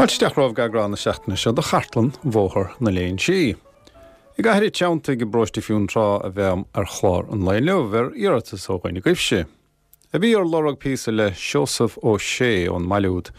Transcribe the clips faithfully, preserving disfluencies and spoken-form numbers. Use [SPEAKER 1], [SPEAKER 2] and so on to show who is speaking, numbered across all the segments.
[SPEAKER 1] Fáilte isteach romhaibh go eagrán na seachtaine seo de Chartlann Bhóthar na Léinsí. I gCathair an Treanntaigh i bparóiste Fionntrá a bheam ar chlár an lae inniu ar iarratas ó dhuine agaibhse. A bhí ar lorg píosa le Seosamh Ó Sé ón mbaile úd,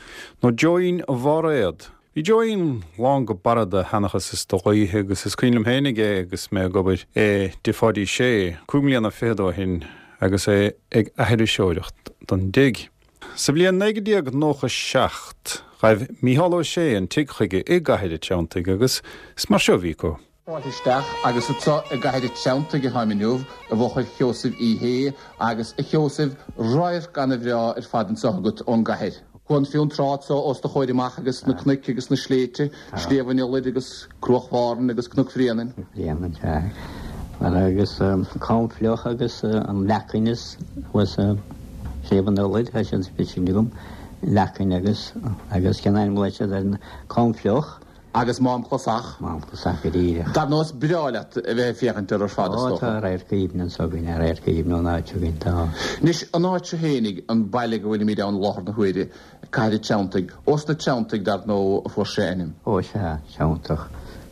[SPEAKER 1] nó Joeín Bháréad. Bhí Joeín lán go barra de sheanchas is de ghaoithe agus is cuimhin liom féinig é agus mé ag obair i dTigh Pháidí Sé, cúig mbliana fichead ó shin agus é ag aithriseoireacht don dtigh. Sa bhliain naoi déag nócha seacht, ghaibh Mícheál Ó Sé an tigh chuige i gCathair an Treanntaigh agus is mar seo a bhí acu.
[SPEAKER 2] Fáilte isteach agus anseo i gCathair an Treanntaigh atáim inniu i bhfochair Sheosaimh Uí Shé agus a Sheosaimh, radharc ana-bhreá ar fad anseo agat ón gcathair. Cuan Fionntrá anseo os do chomhair amach agus na cnoic agus na sléibhte, Sliabh an Iolair agus Cruach Bhárthain agus Cnoc Bhréanainn.
[SPEAKER 3] Bhréanainn, sea. Agus Cam Fliuch agus an Leacain is thuas Sliabh an Iolair, tá siad sin agam, Leacain agus agus cén ainm a bhfuil siad ar an Cam Fliuch.
[SPEAKER 2] Agus Mám Clasach.
[SPEAKER 3] Mám Clasach go díreach.
[SPEAKER 2] Dar ndóigh is breá leat a bheith ag féachaint air ar fad is
[SPEAKER 3] dócha. Ó tá radharc aoibhinn anso againn, radharc aoibhinn ón áit againn, tá.
[SPEAKER 2] Anois an áit seo fhéinig, an baile go bhfuilimid ann i láthair na huaire, Cathair an Treanntaigh, ós na Treanntaigh dar ndóigh a fuair sé a ainm.
[SPEAKER 3] Ó sea, Treanntach.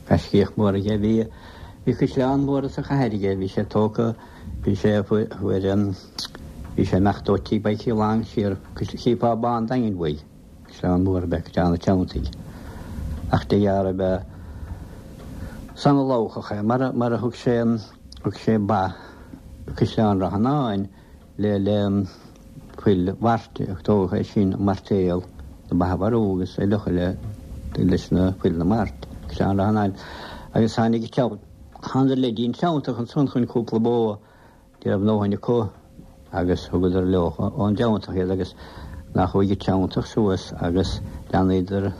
[SPEAKER 3] Gaiscíoch mór aige, bhí, bhí caisleán mór sa chathair aige, bhí sé tógtha, bhí sé, fuair an, bhí sé imeacht ó Tigh Mhicí Long siar, chífeá Bá an Daingin uaidh, caisleán mór ab ea Caisleán an Treanntaigh. Ach de dhealramh ab ea is ana-labhchach é, mar a, mar a thug sé an, thug sé ba Caisleán Ráth Fhionáin le, le, fuil mhairt, tógadh é sin mairtéal na ba a mharú agus é fhliuchadh le leis na fuil na mart, Caisleán Ráth Fhionáin. Agus tháinig thánadar le dtí an Treanntach ansan chun cúpla bó ní raibh a ndóthain acu agus thugadar leo ón dTreanntach iad agus nach chuaigh an Treanntach suas agus leanadar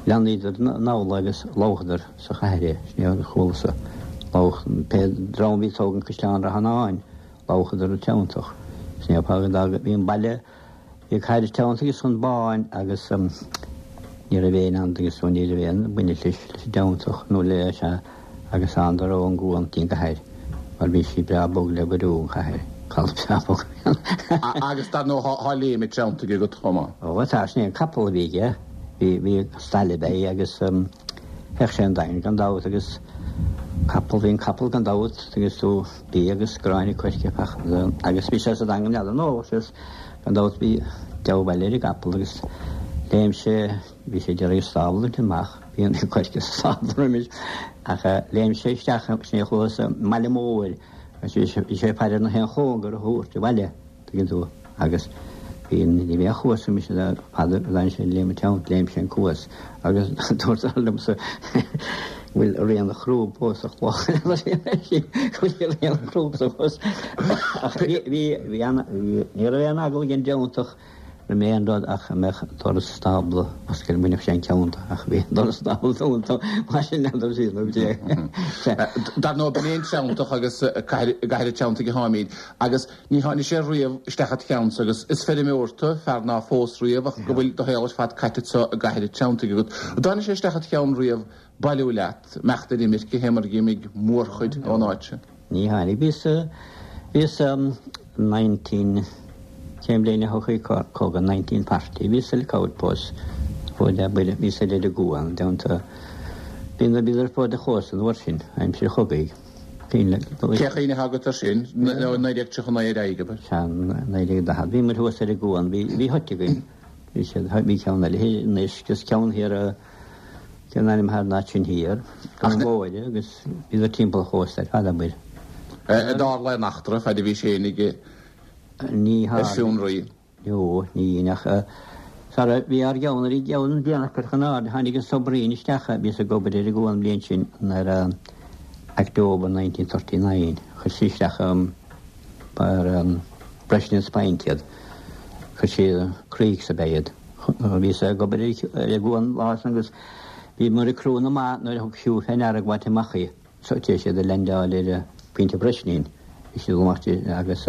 [SPEAKER 3] leanadar anall agus labhchadar sa chathair é, sin é a chualasa labhach pé dream a bhí ag tógaint Caisleán Ráth Fhionáin. Labhchadar an Treanntach. Sin é an fáth go dtága, bhí an baile, bhí Cathair an Treanntaigh is an Báin agus ní raibh aon ann agus ní raibh aon baint leis leis an dTreanntach nó le sea agus thánadar ón gcuan dtí an gcathair mar bhí sí breá bog le beiriú an chathair, caladh breá bog a bhí ann.
[SPEAKER 2] Agus dar ndóigh tá Léim an Treanntaigh agat chomh maith.
[SPEAKER 3] Ó tá, sin é an capall a bhí aige, bhí, bhí stail ab ea é agus théadh sé an Daingean gan dabht agus capall, bhí an capall gan dabht agus tú bia agus gráinne coirce agus bhí sé sa Daingean n'fheadar nó is gan dabht bhí dea-bhail ar an gcapall agus léim sé, bhí sé ag iarraidh an stábla a bhaint amach, bhí an coirce sa stábla roimis ach léim sé isteach sin é chuas i mbaile mór agus bhí sé ag faire ar na haon chóngar a thabhairt abhaile. Tuigeann tú? Agus bhí, ní bheadh cuas mise le fada, lean sé léim an teann, léim sé an cuas agus dúirt fear liomsa go bhfuil rian a chrúb fós sa chloch, go bhfuil rian a chrúb sa chuas. Ach bhí, bhí, bhí an, bhí, ní raibh aon eagla ag an dTreanntach roimh aon rud ach a mbeadh doras stábla oscailte, bhainfeadh sé an ceann de, ach bhí an doras stábla dúnta, mar sin n'fheadar siad nó cé.
[SPEAKER 2] Dar ndóigh, b'in é an Treanntach agus cathair, i gCathair an Treanntaigh atáimid agus Ní tháinig sé riamh isteach it cheannsa agus is feirmeoir tu, fear ná phós riamh ach go bhfuil do shaol ar fad caite anso i gCathair an Treanntaigh agat. An dtáinig sé isteach it cheann riamh bailiú leat, imeacht ar imirce, fé mar a dh'imigh mórchuid ón áit seo?
[SPEAKER 3] Ní tháinig. Bhíos, bhíos nineteen, cén bhliain a thochaigh cogadh, nineteen forty, bhíos ar outpost, fód, bhíos ar ar an gCuan, déanta, bhí na, bhíodar fód an chósta an uair sin, aimsir an chogaidh.
[SPEAKER 2] Cén chuimhne atá agat air sin? Nó naoi déag tríocha naoi ar aghaidh, abair?
[SPEAKER 3] Sea, naoi déag daichead. Bhí muid thuas ar an gcuan, bhí, bhí hut againn. Bhí siad, bhí ceann eile thiar in Uisce agus ceann thiar i, cén ainm atá ar an áit sin thiar, Dún Mhóire agus bhíodar timpeall an chósta ar fad, abair.
[SPEAKER 2] An dtarla aon eachtra fad a bhís fhéinig
[SPEAKER 3] Ní
[SPEAKER 2] ar fionraí?
[SPEAKER 3] Ó, ní ach sara bhí ár gceann ar an gceann déanach curtha in airde, tháinig an submarine isteach, bhíos ag obair ar an gcuan an bhliain sin, ar October nineteen thirty nine, chuir sí isteach ar Brezhniev's Point iad, chuir sí Creeks ab ea iad. Bhíos ag obair ar an gcuan an lá san agus bhíomar ag crú na mba nuair a thug Hugh fé ndeara ag baint amach í. So tar éis iad a leaindeáil ar Phointe Bhreisnín, bhí siad amach agus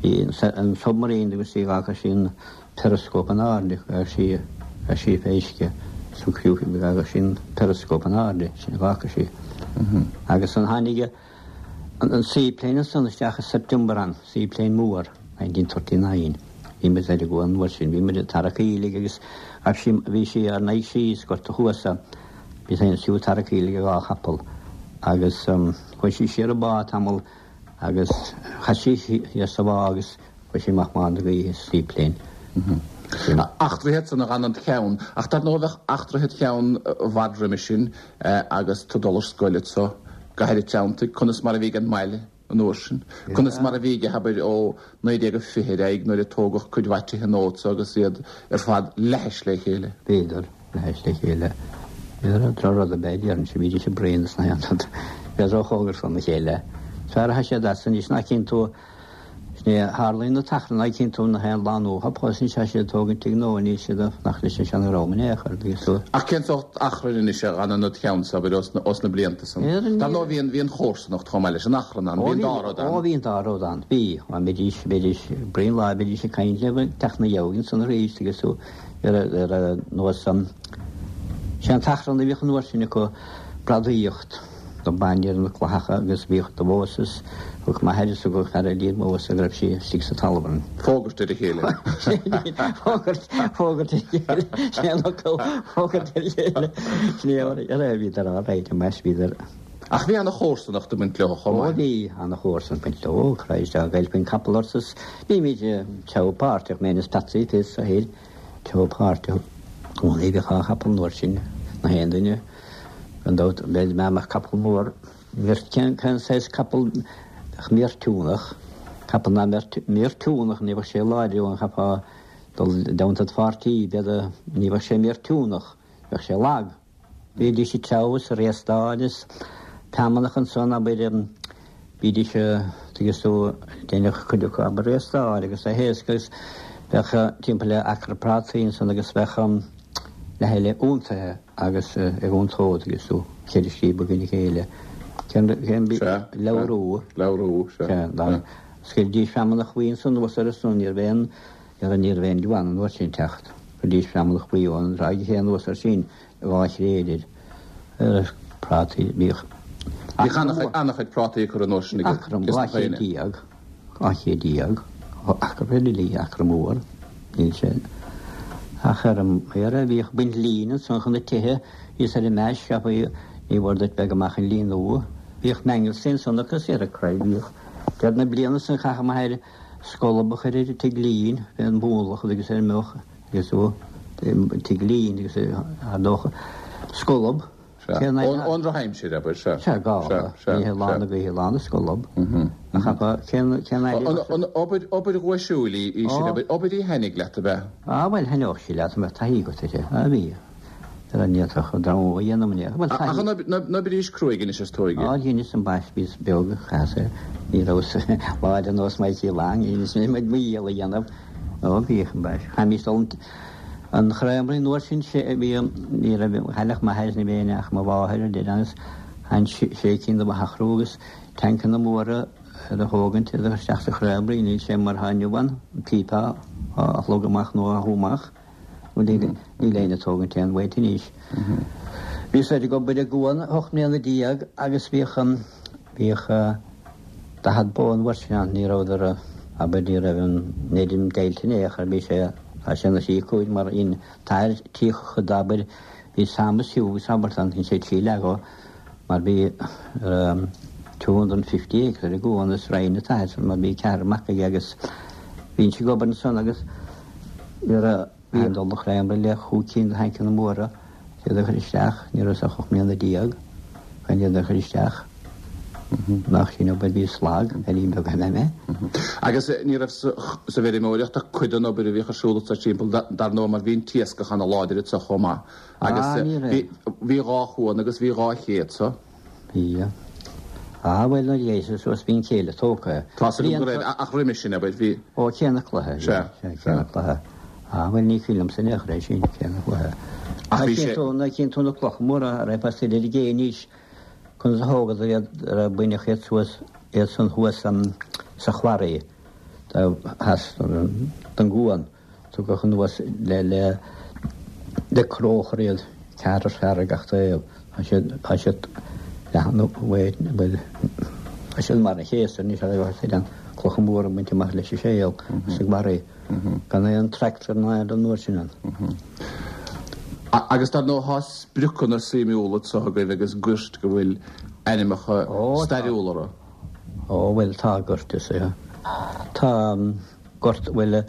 [SPEAKER 3] bhí an submarine agus sí dh'fhága sí an periscope in airde, dh'fhága sí, dh'fhága sí fé uisce, so dh'fhága sí an periscope in airde, sin a dh'fhága sí. Agus an tháinig an seaplane ansan isteach i September an, seaplane mór, nineteen thirty nine, Bhí muid ar an gcuan an uair sin, bhí muid ag tarrac aoiligh agus ghabh sí, bhí sí ár n-aghaidh síos, gorta chuasa, bhí féin siúd tarrac aoiligh ag dhá chapall agus chuaigh sí siar an bá tamall agus chaith sí thiar sa bhá agus chuaigh sí amach bán na gaoithe seaplane.
[SPEAKER 2] Eachtraithe iad san a dh'fhan id cheann, ach dar ndóigh bheadh eachtraithe id cheann i bhfad roimhe sin agus tú ag dul ar scoil anso i gCathair an Treanntaigh, conas mar a bhí ag an mbaile an uair sin? Conas mar a bhí aige, abair, ó naoi déag a fiche ar aghaidh nuair a tógadh cuid mhaith tithe nua anso agus iad ar fad leathais le chéile?
[SPEAKER 3] Bhíodar leathais le chéile. Bhíodar droch-rud ab ea, déarfainnse, bhídís ag braon is na haon rud. Bhíodar róchóngarach dona chéile. Is fearr atá siad as anois ná cíonn tú Ní tharlaíonn an t-achrann ná cíonn tú na haon lá nua thop thosaigh sé siad tógaint tigh nua níl siad ag fanacht leis an seana-dhream in aon chor agus tú.
[SPEAKER 2] Ach cén sórt achrainn anois a dh'fhanann id cheannsa, abair, os os na blianta san? Dar ndóigh bhí an bhí an chomharsanacht chomh maith leis an achrann ann, bhí an dá rud ann.
[SPEAKER 3] Ó bhí an dá rud ann, bhí. Dá mbeidís bheidís braon lá bheidís ag caint libh ag teacht na gheabhaidh ansan arís agus tú ar ar ar nós an sé an t-achrann a bhíodh an uair sin acu bradaíocht. Do baineadh ar na clathacha agus bhíodh do Mhósas, thug m'athair is thug fear eile iad Mhósas go raibh sí istigh sa talamh an.
[SPEAKER 2] Fógairt ar a chéile.
[SPEAKER 3] Fógairt, fógairt ar a chéile, sin é an fhocal, fógairt ar a chéile. Sin é ar a bhíodar á rá, más bhíodar.
[SPEAKER 2] Ach bhí ana-chomharsanacht ag baint leo chomh
[SPEAKER 3] Ó
[SPEAKER 2] maith.
[SPEAKER 3] bhí ana-chomharsanacht ag baint leo, Christ, dá gcaillfí an capall ort is bhímid teo páirteach, mé is Patsy fios a shaoil, teo páirteach. Ó ní bheadh dhá chapall an uair sin, na haon duine. Gan dabht, bheadh mé mar capall mór. Cén saghas capall bheadh míoirtiúnach? Capall ná míoirtiúnach, ní bheadh sé láidir an cheapfá dul down to pháirtí, b'fhéidir, ní bheadh sé míoirtiúnach, bheadh sé lag. Bhídís ag treabhadh is ag réastáil is feamnach ansan, abair, bhídís, tuigeann tú, deineadh cuid acu abair réastáil agus a thaosc agus bheadh timpeall le acra prátaí ansan agus bheadh leath eile iontaithe agus ag iontó agus tú ceithre scríob i gcoinne a chéile. Cén cén bí
[SPEAKER 2] Sea,
[SPEAKER 3] leabhrú.
[SPEAKER 2] Leabhrú, sea.
[SPEAKER 3] Sea, dá scaoildís feamnach bhuí ansan anuas ar a son, ní raibh aon, ní raibh ní raibh aon diabhal an uair sin teacht. Chuiridís feamnach buí ón dtráigh chéanna anuas ar sin, dhá thréad air. Ar prátaí, bhíodh
[SPEAKER 2] Bhíodh an-chuid, an-chuid prátaí ag cur an uair sin ag
[SPEAKER 3] acra, dhá chéad déag, dhá chéad déag, acra uile, acra mór, níl sé. Ach ar an ar a bhíodh baint lín ansan chun na tithe, thíos ar an meis, cheapfaí, ní mhór duit bheith go maith an líon nua. Bhíodh mangels ansan agus ar a craobh bhíodh. Deireadh na bliana san chaithfeadh m'athair scolb a chur ar an tigh lín, fé an mhúnlach agus ar an mbeoch agus ó tigh lín agus ar dócha scolb.
[SPEAKER 2] Sea. Ón ón drochaimsir, abair, sea.
[SPEAKER 3] Sea, gála.
[SPEAKER 2] Sea, sea,
[SPEAKER 3] Ní lá
[SPEAKER 2] sea.
[SPEAKER 3] na gaoithe lá na scolb. Ach cheapfá, cén cén aire
[SPEAKER 2] An an obair obair dhuaisiúil í í sin,
[SPEAKER 3] Ó.
[SPEAKER 2] abair, obair í thaitnigh leat, ab ea?
[SPEAKER 3] Ah, bhuel, thaitneodh sí leat, mbeadh taithí agat uirthi. Ah, bhí. Ar an ndéanfadh an dream a dhéanamh an Bhuel,
[SPEAKER 2] Ach
[SPEAKER 3] taithí.
[SPEAKER 2] an oib- an oibrís cruaidh anois is tóige?
[SPEAKER 3] Á, dheineas an bais, bhíos beag, chaitheas, ní rabhas láidir nós Mikey Long, dheineas mé mo dhícheall a dhéanamh. Ó, bhíodh an bais. Chaithimís dul an An chreamraí an uair sin sé bhí ní raibh chailleach m'athair ní bhí ach mo mháthair a deir agus an sé cinn de mhacrú agus tancanna móra ar a thógaint iad isteach sa chreamraí níl sé mar atá inniu ann an píopa á shlog amach nó á shú amach níl níl aon tógaint aon bhaint anois. Bhí siad ag obair i gcuan ocht mbliana déag agus bhíodh an bhíodh daichead bó an uair sin ann ní rabhadar abair ní raibh an neidin deighilte in aon chor bhí sé Tá sé ina thrí cúig mar in tair tríocha d'abair bhí Sam is Hugh is abairt ann sé trí leath mar bhí two hundred and fifty acre ar an gcuan is roinn an t-athair san mar bhí ceathrar mac aige agus bhíonn sí ag obair ansan agus nuair a bhí an dul chreamra le chúig cinn de thancanna móra iad a chur isteach ní raibh ach ocht mbliana déag chun iad a chur isteach. Nach sin obair bhí slag ar líon beag eile mé.
[SPEAKER 2] Agus ní raibh sa bhfeirmeoireacht ach cuid den obair a bhíodh ar siúl sa timpeall dar ndóigh mar bhí an t-iascach ana láidir anso chomh maith. Agus
[SPEAKER 3] Ah, ní raibh.
[SPEAKER 2] bhí dhá chuan agus bhí dhá ché anso.
[SPEAKER 3] Bhí. Ah, bhuel nuair a dhéas suas bhí an céile tógtha.
[SPEAKER 2] Tá go raibh ach roimhe sin abair bhí.
[SPEAKER 3] Ó Cé na Cloiche.
[SPEAKER 2] Sea,
[SPEAKER 3] Cé na Cloiche. Ah, bhuel ní cuimhin liomsa in aon chor é sin, Cé na Cloiche.
[SPEAKER 2] Ach bhí sé.
[SPEAKER 3] Ná cíonn tú na clocha móra a raibh as ar an gcé anois. Conas a thógadar iad, ar baineadh iad suas, iad san thuas sa chwarry theas den gcuan, tugadh anuas le, le, le cróchar iad, ceathrar fear ag gach taobh. Tá siad, tá siad leathan uaidh, bhuel, tá siad mar a chéasar anois, ar a bheadh siad an clocha móra baint amach leis an séal sa gbarraí. Gan aon tractor ná aon an uair sin ann.
[SPEAKER 2] Agus dar ndóigh tá spriocanna suimiúla anseo agaibh agus goirt go bhfuil ainmneacha stairiúla orthu.
[SPEAKER 3] Ó bhuel tá gort is ea. Tá gort bhuel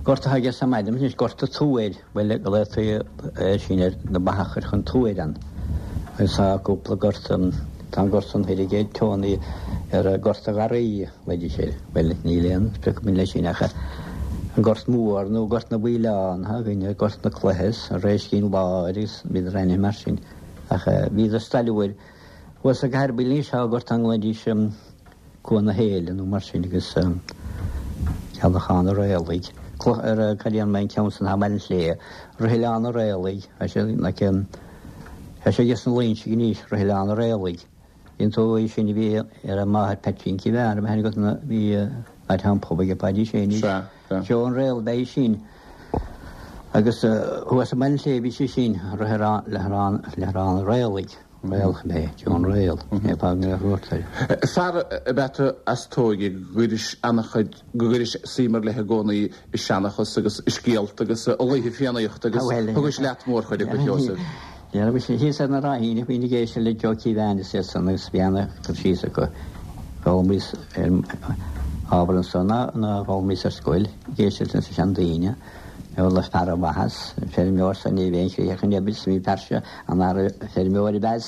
[SPEAKER 3] gort atá aige sa maidhm anois gort an tuair bhuel go léitear é sin ar na ba a chur chun tuair ann. Agus tá cúpla gort tá an gort san thoir aige Tony ar gort a gharraí leidí sé. Bhuel níl aon sprioc againn leis sin ach an gort mór nó gort na bhfaoileán atá againn gort na cloiche an Réiscín Láir agus bhíodar ainmnithe mar sin. Ach bhíodar stairiúil thuas sa gcathair bhuel anois tá gort ann glaoidís Cuan na hÉille nó mar sin agus Ceallachán an Réalaigh. Cloch ar cad é an ceann san Baile an tSléibhe, Rith Oileán an Réalaigh, tá sé like tá sé aige sna Loinsigh anois, Rith Oileán an Réalaigh. Bhí an t-óig sin a bhí ar an máthair Peaitín Cíobháin, a bhean agat na bhí áit an pub ag Paidí Sé anois.
[SPEAKER 2] Sea, sea.
[SPEAKER 3] Seo an réal bheidh sin. Agus thuas i mBaile an tSléibhe bhí sé sin, Rith Oileán an Réalaigh. Réalach ab ea é, John Réal, é fág na ruairteoirí.
[SPEAKER 2] Fear ab ea tú as tóige go gcuiris an-chuid, go gcuiris suim ar leith i gcónaí i seanchas agus i scéalta agus i laoithe Fiannaíochta agus thugais leat mórchuid acu, a Sheosaimh.
[SPEAKER 3] Dhera, bhí sé thíos ar na Ráithíní, bhínn ag éisteacht le Joe Keevan is iad san agus bhí ana-chur síos acu. D'fhoghlaimíos ar ábhar ansan ná ná d'fhoghlaimíos ar scoil, ag éisteacht leis na seandaoine. Le fear an mhaitheas, an feirmeoir san ní bheidh aon chríoch an oibre, bhí fear seo an-fheirmeoir ab ea,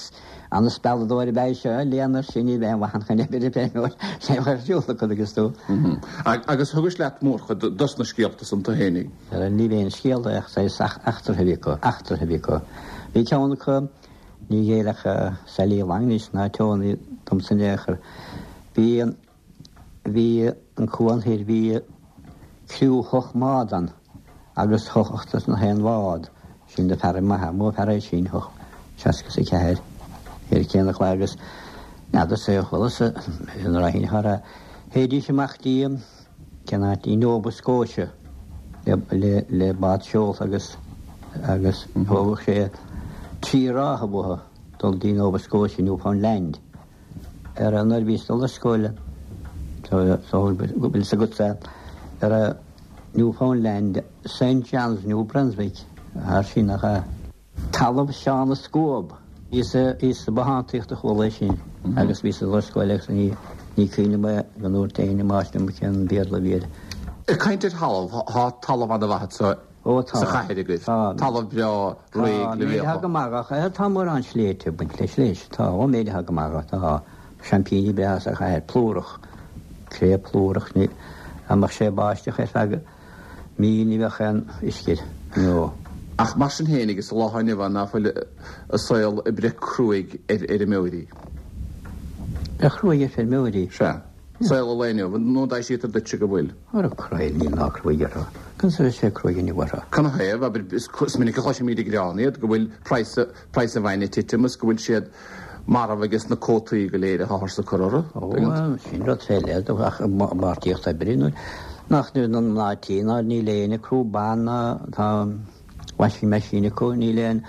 [SPEAKER 3] an-spealadóir ab ea seo, léan air sin ní bheidh aon mhaith ann chun oibre feirmeoir, sé a chuir siúl acu agus tú.
[SPEAKER 2] Agus thugais leat mórchuid dos na scéalta san tú fhéinig?
[SPEAKER 3] Ní bheidh aon scéal ach saghas eachtra a bhí acu, eachtra a bhí acu. Bhí ceann acu, ní ghéillfeadh Sally Long anois ná Tony domsa in aon chor. Bhí an, bhí an cuan thoir, bhí criú hocht mbád ann agus hocht na haon bhád, sin do fear maith, mó fear é sin, hocht, seasca is a ceathair, ar cén chlár agus n'fheadar sa chuala sa an Ráithín thar a théidís amach dtí cén áit í Nova Scotia le, le, le bád seolta agus agus thógadh sé trí ráithe uathu dul dtí Nova Scotia, Newfoundland. Ar an nuair a bhíos dul ar scoil, so, so go bhfuil fhios agatsa, ar a Newfoundland, Saint John's, New Brunswick, thar sin nach ea? Talamh Sheán na Scuab. Bhíos sa bothántaíocht a chuala é sin agus bhíos ag dul ar scoil agus ní ní cuimhin liom é go ndúirt éinne máistir liom cén Béarla a bhí air.
[SPEAKER 2] Ag caint ar thalamh, tá talamh an-mhaith anseo
[SPEAKER 3] Ó tá.
[SPEAKER 2] sa chathair agaibh.
[SPEAKER 3] Tá.
[SPEAKER 2] Talamh breá réidh le
[SPEAKER 3] Tá, méadaithe go maith ach tá mórán sléibhte ag baint leis leis. Tá, ó méadaithe go maith tá seaimpíní breátha sa chathair, plúrach, cré plúrach, ní, dá mbeadh sé ag báisteach ar feadh mí ní bheadh aon uisce air, nó.
[SPEAKER 2] Ach mar sin féin, sa lá atá inniu ann, ná fuil an saol ag breith cruaidh ar fheirmeoirí?
[SPEAKER 3] Breith cruaidh ar feirmeoirí?
[SPEAKER 2] Sea. Saol an lae inniu, nó an dtaibhsítear duitse go bhfuil?
[SPEAKER 3] Ara cruaidh, níl ná cruaidh orthu. Conas a bheidh sé cruaidh inniu orthu?
[SPEAKER 2] Canathaobh, abair, is minic a chloisimid ag gearán iad go bhfuil praghas, praghas an bhainne ag titim is go bhfuil siad marbh ages na cuótaí go léir atáthar ag cur orthu.
[SPEAKER 3] Ó, sin rud fé leith, ach margaíocht oibre, nuair nach nuair na mná tí ná níl aon ag crú ban ná tá washing machine acu, níl aon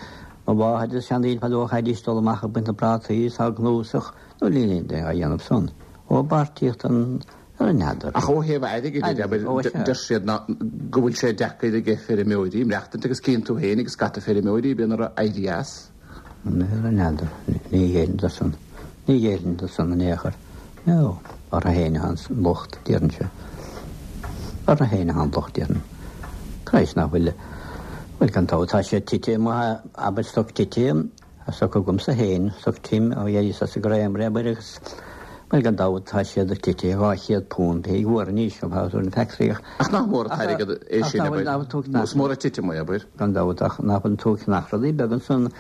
[SPEAKER 3] mo mháthair is seandaoine fadó chaithidís dul amach ag baint na bprátaí is á gcnuasach, nó níl aon duine á dhéanamh san. Ó beartaíocht an ar an n'fheadar.
[SPEAKER 2] Ach ó thaobh airgid de, abair, deir siad ná go bhfuil sé deacair ag feirmeoirí maireachtaint agus cíonn tú féin agus scata feirmeoirí bíonn orthu éirí as.
[SPEAKER 3] Ar an n'fheadar. Ní ghéillfinn do san. Ní ghéillfinn do san in aon chor. No. Orthu féin atá an locht, déarfainnse. Orthu féin atá an locht, déarfainn. Christ nach bhfuil, bhuel gan dabht tá sé tite amuigh, abair stoc tite, tá stoc agamsa féin, stoc Tim ó dheis as an gcreamery abair agus, bhuel gan dabht tá siad tite dhá chéad punt pé uair anois ó thabhairt an factory ach.
[SPEAKER 2] Ach nach mór an t-airgead é sin abair, nó is mór an titim é abair.
[SPEAKER 3] Gan dabht ach nach bhfuil an t-uaigh nach rudaí beag ansan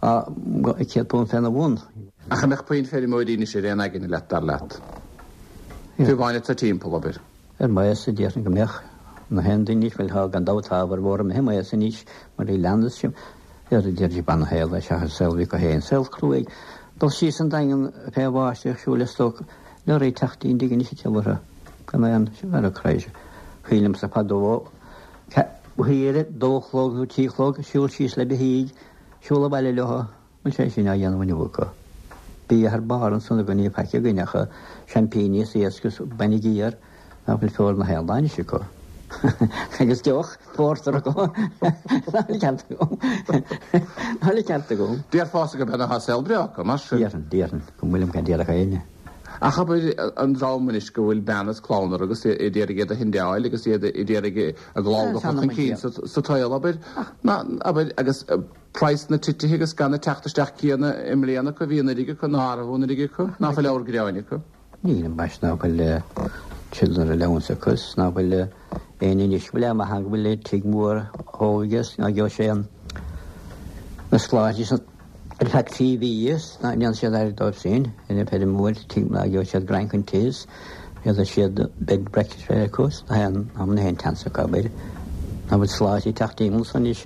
[SPEAKER 3] céad punt féna bhun.
[SPEAKER 2] Ach an mbeadh puinn feirmeoirí anois ar aon aigne leat dar leat? Fiú amháin atá timpeall abair.
[SPEAKER 3] Ar maos a déarfainn go mbeadh na haon duine anois, bhuel tá gan dabht tá ábhar mhór imithe maos anois mar bhí leanas sin. Ar a deir bean a shaol é seachas saol bhí acu féin, saol cruaidh. Dul síos an Daingean fé bháisteach siúl le stoc leoraí teacht i ndiaidh anois a tiubhartha gan aon ar a craobh. Shílimse fadó thiar dó chlog nó trí chlog siúl síos le beithígh, siúl abhaile leo, bhfuil sé sin á dhéanamh inniu acu. Bia thar barr ansan againn ní faic againn ach seaimpíní is iasc is bainne géar. Ná fuil feoil na haon lá anois acu. Agus deoch, pórtar acu. Ná fuil ceart agam. Ná fuil ceart agam.
[SPEAKER 2] Déarfása gurb ea atá saol breá acu, mar sin.
[SPEAKER 3] Déarfainn, déarfainn, go bhfuilim gan déarfadh éinne.
[SPEAKER 2] Ach abair an dream anois go bhfuil bean is clann orthu agus iad ag iarraidh iad a shendáil agus iad ag iarraidh a gclann a chur chun cinn sa tsaol, abair, ná, abair, agus praghas na tithe agus gan an teacht isteach céanna i mbliana acu a bhí anuraidh acu, ná arbh anuraidh acu, ná fuil leabhar gréin acu.
[SPEAKER 3] Níl ambaist ná fuil children allowance acu is ná fuil éinne anois go bhfuil amach ann go bhfuil tigh mór thóg is ná gheobhaidh sé an na sláinte is ar feadh trí mhí is ná ndéanann siad aire dóibh féin ina feirmeoir tigh ná gheobhaidh siad greim chun tae is féadfaidh siad bed breakfast bheith acu is ná haon am na haon tseans acu abair ná fuil sláinte ag teacht timpeall so anois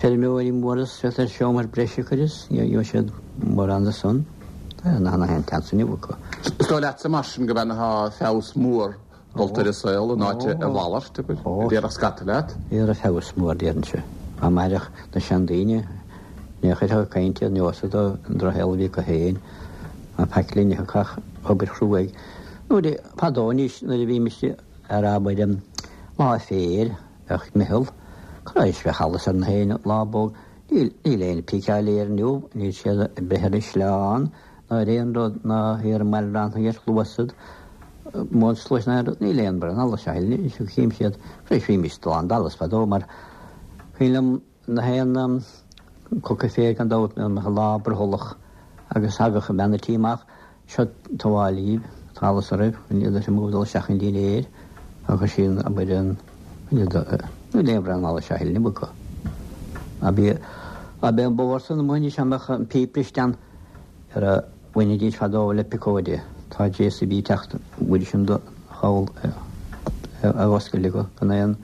[SPEAKER 3] feirmeoirí móra is féadfaidh seomra breise a chur is gheobhaidh siad mórán de san ná na haon tseans inniu acu.
[SPEAKER 2] Is dóigh leatsa mar sin go mbeidh na feabhas mór dulta ar an saol in áit a mhalairt, abair, a déarfadh scata leat?
[SPEAKER 3] Ar feabhas mór déarfainnse. Dá mairfeadh na seandaoine, ní chuirfeadh ag caint iad neosad an drochshaol a bhí acu féin, ná faic linn a thiocfadh obair chruaidh. Nuair a, fadó anois, nuair a bhímis ar abair lá féir, bheadh meitheal, Christ, bheadh allas ar na haon lá bog, níl, níl aon píceáil air inniu, níl siad ag breith ar an sleán, ná ar aon rud, ná ar an mbaile ar chluasad, móin sluais ná aon rud, níl aon bhraon allais a thuilleadh, is chím siad, Christ, bhímis lán d'allas fadó mar cuimhin liom na haon coca féir gan dabht na lá brothallach agus thagadh bean an tí amach, seo tabháil dhíbh, tá allas oraibh, chun iad a mhúdal isteach an dinnéir agus sin abair an níl aon bhraon allais a thuilleadh acu. Ab é an bóthar san amuigh anois a mbeadh an píp briste ann ar a bhainfidís fadó le piocóide. Tá JCB ag teacht uair sin do choll a oscailt acu gan aon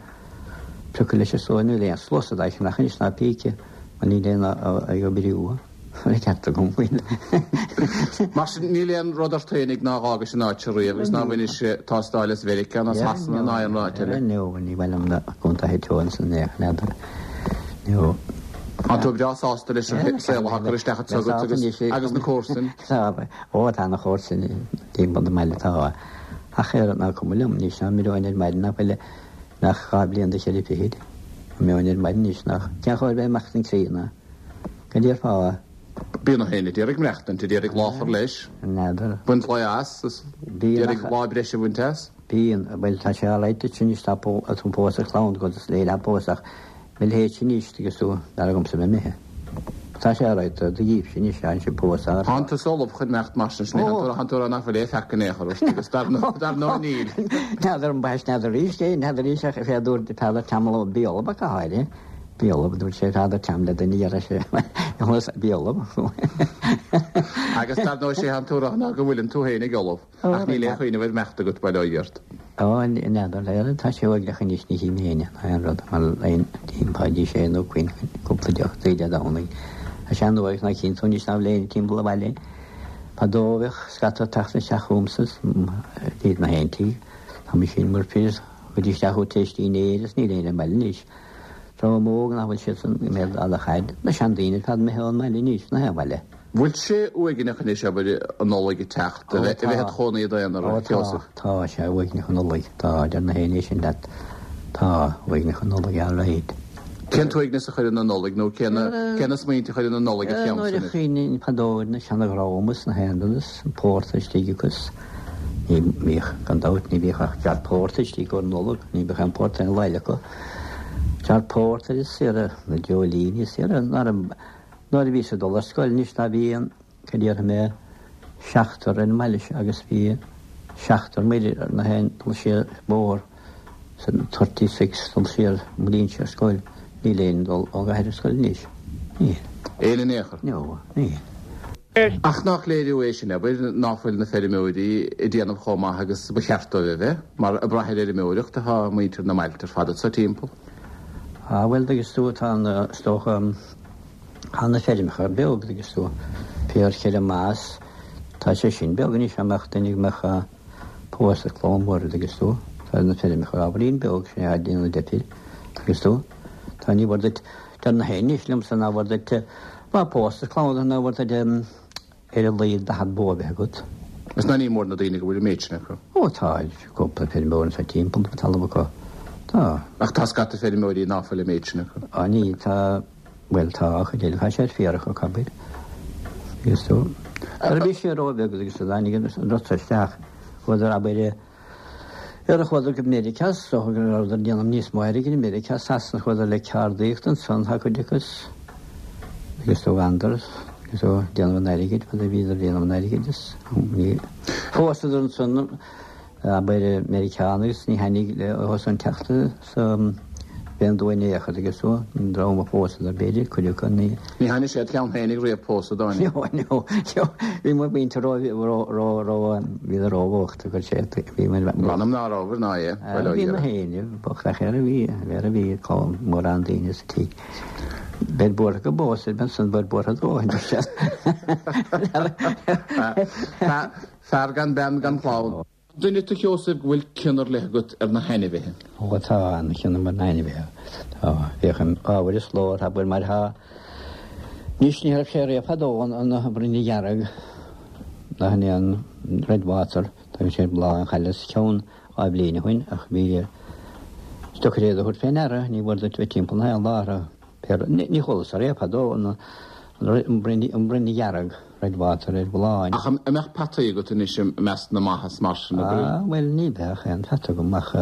[SPEAKER 3] priocadh leis is dóigh. Níl aon sluasaid á cheannach anois ná píce mar níl aon ag oibriú. Tá ceart agam faoi.
[SPEAKER 2] Mar sin níl aon rud ort féinig ná dh'fhágais an áit seo riamh agus ná bhainis tástáil as Mheiriceá ná Sasana ná aon áit eile.
[SPEAKER 3] No, ní mhaith liom na contaetha teo ansan é, n'fheadar. No.
[SPEAKER 2] Tá tú breá sásta leis an saol atá curtha isteach agat agus agus na comharsain?
[SPEAKER 3] Tá, ó tá na comharsain timpeall na mbaile tá. Ach ar ná cuma liom anois ná mbeinn ar maidin nach bhfuil nach dhá bhliain de cheithre fichid. Mbeinn ar maidin anois nach cén chóir bheith amach den críonna. Go déarfá.
[SPEAKER 2] Bíonn na héinne d'iarraidh maireachtaint, d'iarraidh lá a chur leis.
[SPEAKER 3] N'fheadar.
[SPEAKER 2] Baint lae as, is d'iarraidh lá breise a bhaint as.
[SPEAKER 3] Bíonn, bhuel tá sé alright duit anois tá tú pósta clann agat is léir tá pósta ach mo leithéidse anois agus tú dar agamsa bheith imithe. Tá sé alright do dhíobhse anois tá sé pósta.
[SPEAKER 2] Tánn tusa ullamh chun imeacht mar sin, tánn tú a rá nach bhfuil aon pheaca in aon chor ort agus dar ndóigh níl.
[SPEAKER 3] N'fheadar an bhfaighis n'fheadar arís é, n'fheadar arís ach fé dúirt Peadar Teamall bí ullamh ach go háirithe. Bí ullamh, dúirt sé Peadar Team le duine a sé bí ullamh.
[SPEAKER 2] Agus dar ndóigh sé an tú a rá ná go bhfuileann tú féinig ullamh ach níl aon chuimhneamh ar imeacht agat bail ó Dhia ort.
[SPEAKER 3] Ó, n'fheadar, le tá sé uaigneach anois ní chím féin ná aon rud mar aon timpeall sé nó cuin cúpla deoch tae Dé Domhnaigh. Tá sé an-uaigneach ná cinn tú anois ná bhfuil éinne timpeall an bhaile. Fadó bheadh scata ag teacht isteach chugamsa is iad na haon tigh. Tá mise in bhur fir go dtí isteach chugat tar éis dinnéir is níl éinne ar an mbaile anois. Dream óg nach bhfuil siadsan i mbéal a chaid. Na seandaoine ar fad imithe ón mbaile anois, na haon bhaile.
[SPEAKER 2] Bhfuil sé uaigneach anois, abair, an Nollaig ag teacht, a bheith i do chónaí i d'aonar,
[SPEAKER 3] Ó
[SPEAKER 2] a
[SPEAKER 3] tá,
[SPEAKER 2] Sheosaimh?
[SPEAKER 3] tá sé uaigneach an Nollaig, tá, deir na héinne sin leat, tá uaigneach an Nollaig alright.
[SPEAKER 2] Cén t-uaigneas a chuireann an Nollaig nó cé na, cé na smaointe a chuireann an Nollaig id
[SPEAKER 3] Nuair
[SPEAKER 2] cheannsa
[SPEAKER 3] a
[SPEAKER 2] anois?
[SPEAKER 3] chuimhním fadó ar na seana-dhream is na haon rud is an pórtar istigh acu is ní bhíodh, gan dabht, ní bhíodh ach dear pórtar istigh i gcomhair Nollag, ní bheadh aon pórtar aon lá eile acu. Dear pórtar is saoire, na dreoilíní is saoire, nuair a Nuair a bhíos ag dul ar scoil anois ná bhí an, cad déarfaidh mé, seachtar ar an mbaile seo agus bhí seachtar muir ar na haon dul siar bóthar san thirty six dul siar mo léinnse ar scoil. Níl aon dul ó gcathair ar scoil anois. Níl.
[SPEAKER 2] Aon in aon chor?
[SPEAKER 3] No, níl.
[SPEAKER 2] Ach nach léiriú é sin, abair, ná fuil na feirmeoirí ag déanamh chomh maith agus ba cheart dóibh a bheith, mar ag brath ar fheirmeoireacht atá muintir na mbailte ar fad anso timpeall.
[SPEAKER 3] Ah bhuel, agus tú, tá an, is dócha, Tá na feirmeacha beag agus tú féar cheithre mas tá sé sin beag anois dá mbeadh duine go mbeadh pósta clann mhór agus tú tá na feirmeacha ábhairín beag sin é a déanamh deifir agus tú tá ní mhór duit deir na héinne anois liomsa ná mhór duit má pósta clann ná mhór duit ar a laghad daichead bó a bheith agat
[SPEAKER 2] Is ná ní mór na daoine go bhfuil an méid sin acu.
[SPEAKER 3] Ó tá cúpla feirmeoir sa timpeall tá talamh acu. Tá.
[SPEAKER 2] Ach tá scata feirmeoirí ná fuil an méid sin acu.
[SPEAKER 3] Á ní tá bhuel tá chuid eile tá sé ar féarach acu abair. Agus tú. Nuair a bhí sé róbheag agus a tháinig an rud seo isteach chuadar abair ar a chuadar go Meiriceá is dócha go rabhadar ag déanamh níos mó airgid i Meiriceá Sasana chuadar le ceardaíocht ansan tá cuid acu agus tú andar agus tú déanamh an airgid fad a bhíodar ag déanamh an airgid is ní phósadar ansan abair Meiriceánach agus ní tháinig le os an teacht sa bhí an dóigh in aon agus tú an dream a phósadar b'fhéidir cuid acu ní
[SPEAKER 2] Ní tháinig sé ceann féinig riamh pósadh dáinig.
[SPEAKER 3] No, no, no, bhí mo mhuintir ró ró ró ró bhíodar róbhocht a chuir sé bhí mo
[SPEAKER 2] M'anam ná rabhar ná é, bhuel ó
[SPEAKER 3] Bhí na
[SPEAKER 2] dhia.
[SPEAKER 3] héinne bocht ach ar a bhí ar a bhí cá mórán daoine sa tigh. Beid buartha go bpósfainn ansan beid buartha dóthain dúirt sé.
[SPEAKER 2] Fear gan bean gan chlann. Duine tú Sheosaimh go bhfuil cion ar leith agat ar na hainmhithe.
[SPEAKER 3] Ó tá an-chion agam ar na hainmhithe. Tá féachaim ábhair is lór tá bhfuil mar thá Anois ní raibh sé riamh fadó an an broinne dhearg ná an an red water tá sé bláth an chailleas ceann dhá bhliain ó shin ach bhí is deacair é a thabhairt fé ndeara ní bhfuair duit bheith timpeall na haon lá orthu. Ní chualas riamh fadó an an broinne dhearg red water ar bhláth.
[SPEAKER 2] Ach an mbeadh peataí agat anois i measc na maitheas mar sin a
[SPEAKER 3] Ah, bhuel ní bheadh aon pheata agam ach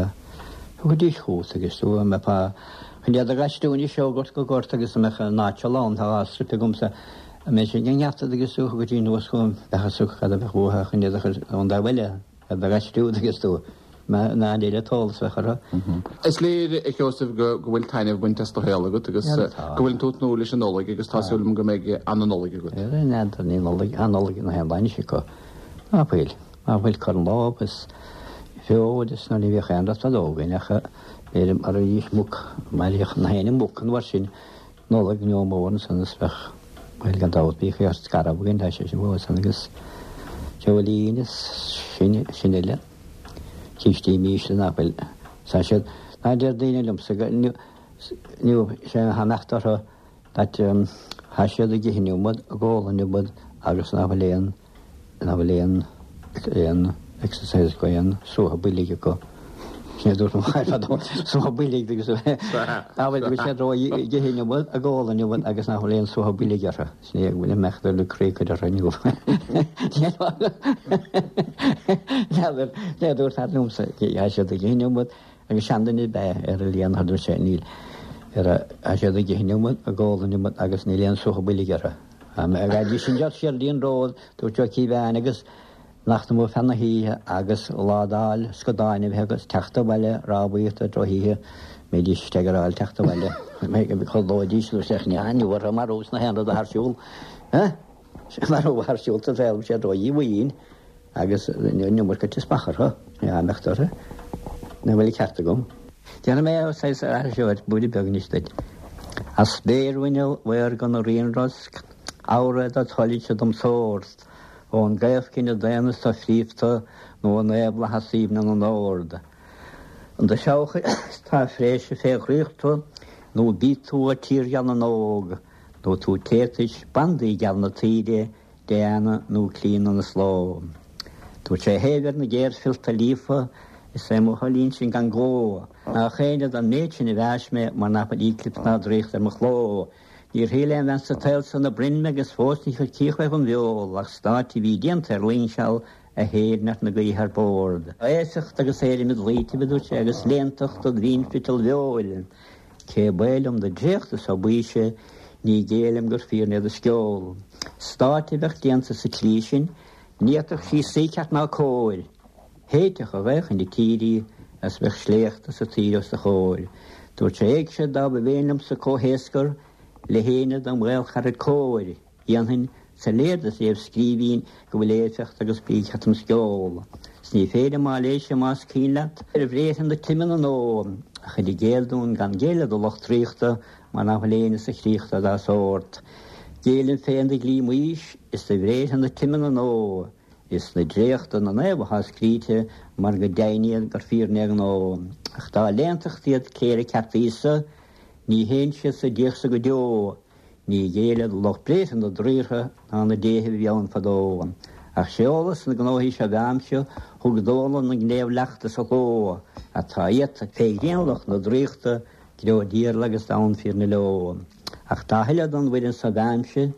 [SPEAKER 3] thugaidís chugat agus tú an mbeifeá chun iad a gaistriú anois ó ghort go gort agus an mbeadh an áit lán tá dhá struip agamsa a mbeidh sé ag an ngeata agus tú thugaidís anuas chugam bheadh a fhios cad a bheadh uathu chun iad a chur ón dtaobh eile a bheith gaistriú agus tú ná an eile t-eolas bheadh orthu.
[SPEAKER 2] Is léir a Sheosaimh go go bhfuil taitneamh bainte as do shaol agat agus go bhfuil tú ag tnúth leis an Nollaig agus tá súil agam go mbeidh an-Nollaig agat.
[SPEAKER 3] N'fheadar ní Nollaig an Nollaig na haon bainis acu. Ná fuil ná fuil cur an lámh is feoil is nuair ní bhíodh aon rud fadó againn ach b'fhéidir mar a bhíodh muc mar a bhíodh na haon muc an uair sin Nollaig nó mór ansan is bheadh bhuel gan dabht bhíodh ar scairbh againn tá sé sin fós ann agus feoilín is sin sin uile. Cístí mísle nach bhfuil tá siad ná deir daoine liomsa go inniu sé a imeacht orthu that tá siad ag ithe an iomad ag ól an iomad agus nach bhfuil aon nach bhfuil aon aon exercise acu aon suaitheadh boilg acu. Sin é dúirt mo chara fadó suaitheadh boilg agus nach bhfuil go bhfuil siad ró ag ithe an iomad ag ól an iomad agus nach bhfuil aon suaitheadh boilg orthu. Sin é go bhfuil imeacht ar le croí orthu inniu. N'fheadar é dúirt fear liomsa tá siad ag ithe an iomad agus seanduine ab ea ar a líon dúirt sé níl ar tá siad ag ithe an iomad ag ól an iomad agus níl aon suaitheadh boilg orthu. Agus sin deir siar dtí an ród dúirt Joe Cíobháin agus nach mó feadh na hoíche agus ládáil scadáin a bheith agus teacht abhaile rámhaíocht ar drochoíche mbeidís ag rá teacht abhaile chodlóidís nó sé ní orthu marú na haon rud a thar siúl. Marú thar siúl sa saol sé ró-dhíomhaoin agus an iomarca teaspach orthu ní imeacht orthu. Na bhfuil ceart agam. Déanfaidh mé saghas aithriseoir buaile beag anois duit. As spéirbhuinneal mhaorga na ríonrosc, amhra do thoilse dom shórt, ón gcaomhchine daonna is do-phríomhta nó an naomhlathas aoibhne na n-ord. An do sheabhac tá fréise fé dhraíochta nó bí tú a tír gheal na n-óg, nó tú téartais bandaí geal na tíre, Diana nó Clíona na sló. Dúirt sé thaobh ar na géarfhillta líofa, is é mo thoil sin gan gó, nach éinne don méid sin a mheas mé mar nach bhfuil éiclipse ná draíocht ar mo chló. Níor shíl aon bhean sa tsaol san a broinn mé agus fós ní chuir cíoch mé fom bheol ach stáit a bhí déanta ar loingseal a théid neart na gaoithe ar bord. Aosacht agus éirim i dlaoitibh, a dúirt sé, agus léantacht do mhínfhriotal bheoil. Cé ba liom do dhréacht is baoise, ní ghéillim gur fíor é do sceol. Stáit a bheadh déanta sa tslí sin, ní fhéadfadh sí suí ceart ná cóir. Théiteach a bheadh ina tír í as bheadh sléachta sa tír os do chomhair. Dúirt sé éigse dá ba mhéin liomsa comhthéascar le héinne dom ghaolchara cóir, dhéanfainn soiléir do sa léamhscríbhinn go bhfuil éifeacht agus brí cheart im sceol. 'S ní féidir má léigh sé más cuimhin leat ar bhréithre na time na ndó, ach i gcéill dúinn gan géilleadh do lucht draíochta mar nach bhfuil éinne sa chríoch dá sórt. Géillim féin do dhlí Mhaois is do bhréithre na time na ndó, is na dréachta na naomh atá scríte mar go deimhin iad gur fíor na gnó. Ach dá léantacht iad cléire ceart Íosa, ní théann siad sa diachsa go deo, ní ghéilleadh lucht bréithre na draortha ná na déithe a bhí ann fadó. Ach sé eolas na gnóthaí seo bheamse thug dóla na ngnéamh leachta sa chló atá iad fé ghrianlucht na draíochta greo díorla agus donn fíor na leo. Ach tá thuilleadh don bhfoireann sa bheamse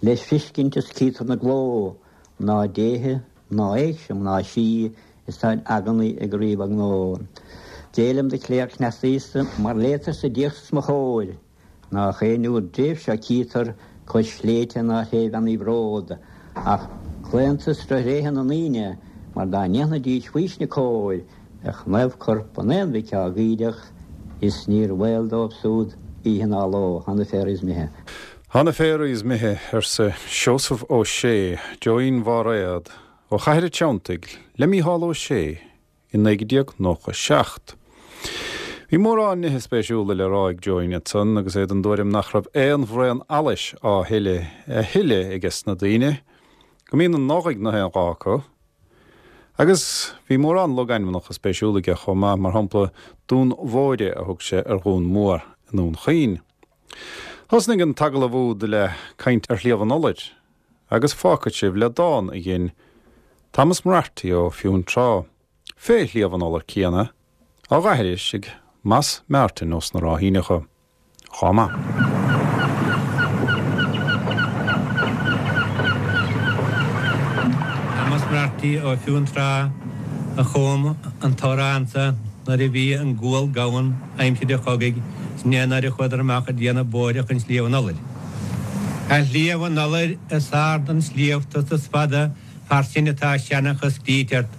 [SPEAKER 3] leis fiscint is cítar na gló ná déithe ná éigse ná sí is tá aganaí ag riomh ag nó. Délam de chléir cneasaíosta mar létar sa díochas mo chóir, ná chéinú dréimh seo cítar cois sléibhte ná thaobh bród, ach claontas réithe na ndaoine mar dá ndéanfaidís faoisne cóir ach naomh corp an aon mhic á gídeach is níor bhaol dóibh súd oíche ná ló Thá na féaraigh is mithe.
[SPEAKER 1] Thá na féaraigh is mithe arsa Seosamh Ó Sé, Joeín Bháréad, ó Chathair an Treanntaigh le Mícheál Ó Sé i naoi déag nócha seacht. Bhí mórán nithe spéisiúla le rá ag Joeín ansan agus é den dtuairim nach raibh aon bhraon allais á thuilleadh a thuilleadh aige sna daoine, go mbíonn an Nollaig na haon dhá acu, agus bhí mórán logainmneacha spéisiúla aige chomh maith mar shampla Dún Mhóire a thug sé ar Dhún Mór i nDún Chaoin. Thosnaigh an t-agallamh úd le caint ar Shliabh an Iolair, agus fágfaidh sibh le dán a dhein Thomas Moriarty ó Fionntrá, fé Shliabh an Iolair céanna, á aithris ag Mas Martin ó sna Ráithíneacha. Chomh maith.
[SPEAKER 4] Thomas Moriarty ó Fionntrá a chum an t-amhrán sa nuair a bhí an gual gann aimsir an chogaidh is nuair a chuadar amach ag déanamh bóithre chun Sliabh an Iolair. A Shliabh an Iolair is ard an sliabh tusa is fada far sin atá seanchas scríte ort,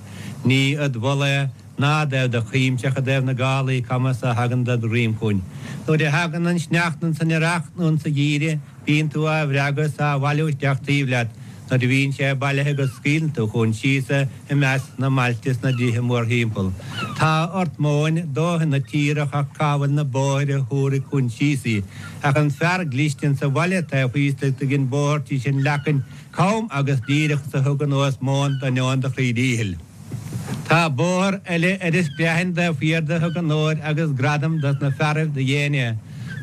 [SPEAKER 4] ní id mholadh ná i dtaobh do chuimse ach i dtaobh na gálaí cama a thagann ded dhroim chugainn. Nuair a thagann an sneachta ins an earrach nó insa gheimhreadh bíonn tú á bhreagadh is á bhailiú isteach taobh leat, nuair a bhíonn sé bailithe agat scaoileann tú chugainn síos é i measc na mbailte is na dtithe mórthimpeall. Tá ort móin dóthain na tíre ach cá bhfuil na bóithre a thabharfaidh chugainn síos í. Ach an fear cliste insa bhaile taobh thíos do dhein bóthar tís an leacain cam agus díreach is a thug anuas móin d'ainneoin do chroí díchill. Tá bóthar eile ar an Screathain taobh thiar de thug onóir agus gradam dos na fearaibh do dhein é.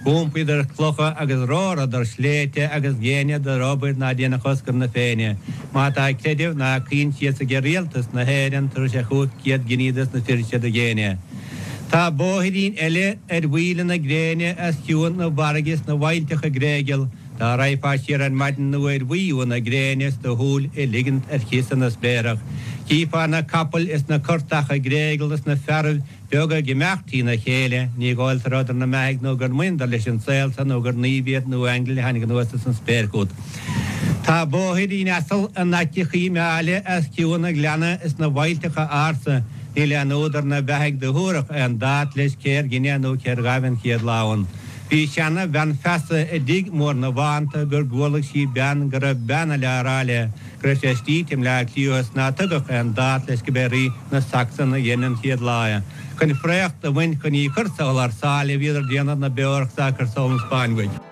[SPEAKER 4] D'iompaíodar clocha agus romhradar sléibhte agus dheineadar obair ná déanfadh Oscar na Féinne. Má tá creideamh ná coinsias age Rialtas na hÉireann tabharfaidh sé chúig chéad giní dos na fir seo do dhein é. Tá bóithrín eile ar mhaoile na gréine os cionn na bhfarraige is na bhfaillteacha gréigeal, dá raghfá siar ar maidin nuair bhuí na gréine is do shúil a ligint ar chiosa na spléarach, chífeá na capaill is na curtacha gréigeal is na fearaibh beaga ag imeacht trína chéile, ní dhóigh leat a rabhadar 'na mbeathaidh nó gur mbaineadar leis an saol so nó gur naoimh iad nó aingil a tháinig anuas as an spéir chugat. Tá bóithrín asal in aice Choill Meáile os cionn an ghleanna is na bhfaillteacha ársa, níl aon údar ná beathaidh do thabharfadh aon dát leis cér dhein é nó cér ghabh an chéad lá ann. Bhí seana bhean feasa i dtigh mór na bhFánta gur gcualaidh sí bean go raibh bean eile á rá léi go raibh sé istigh i mBleá Cliath is ná tugadh aon dát leis go b'é rí na Sacsan a dhein an chéad lá é. Chun fraoch do bhaint chun í chur sall thar sáile bhíodar déanamh na beorach sa cur sall an Spáinn uaidh.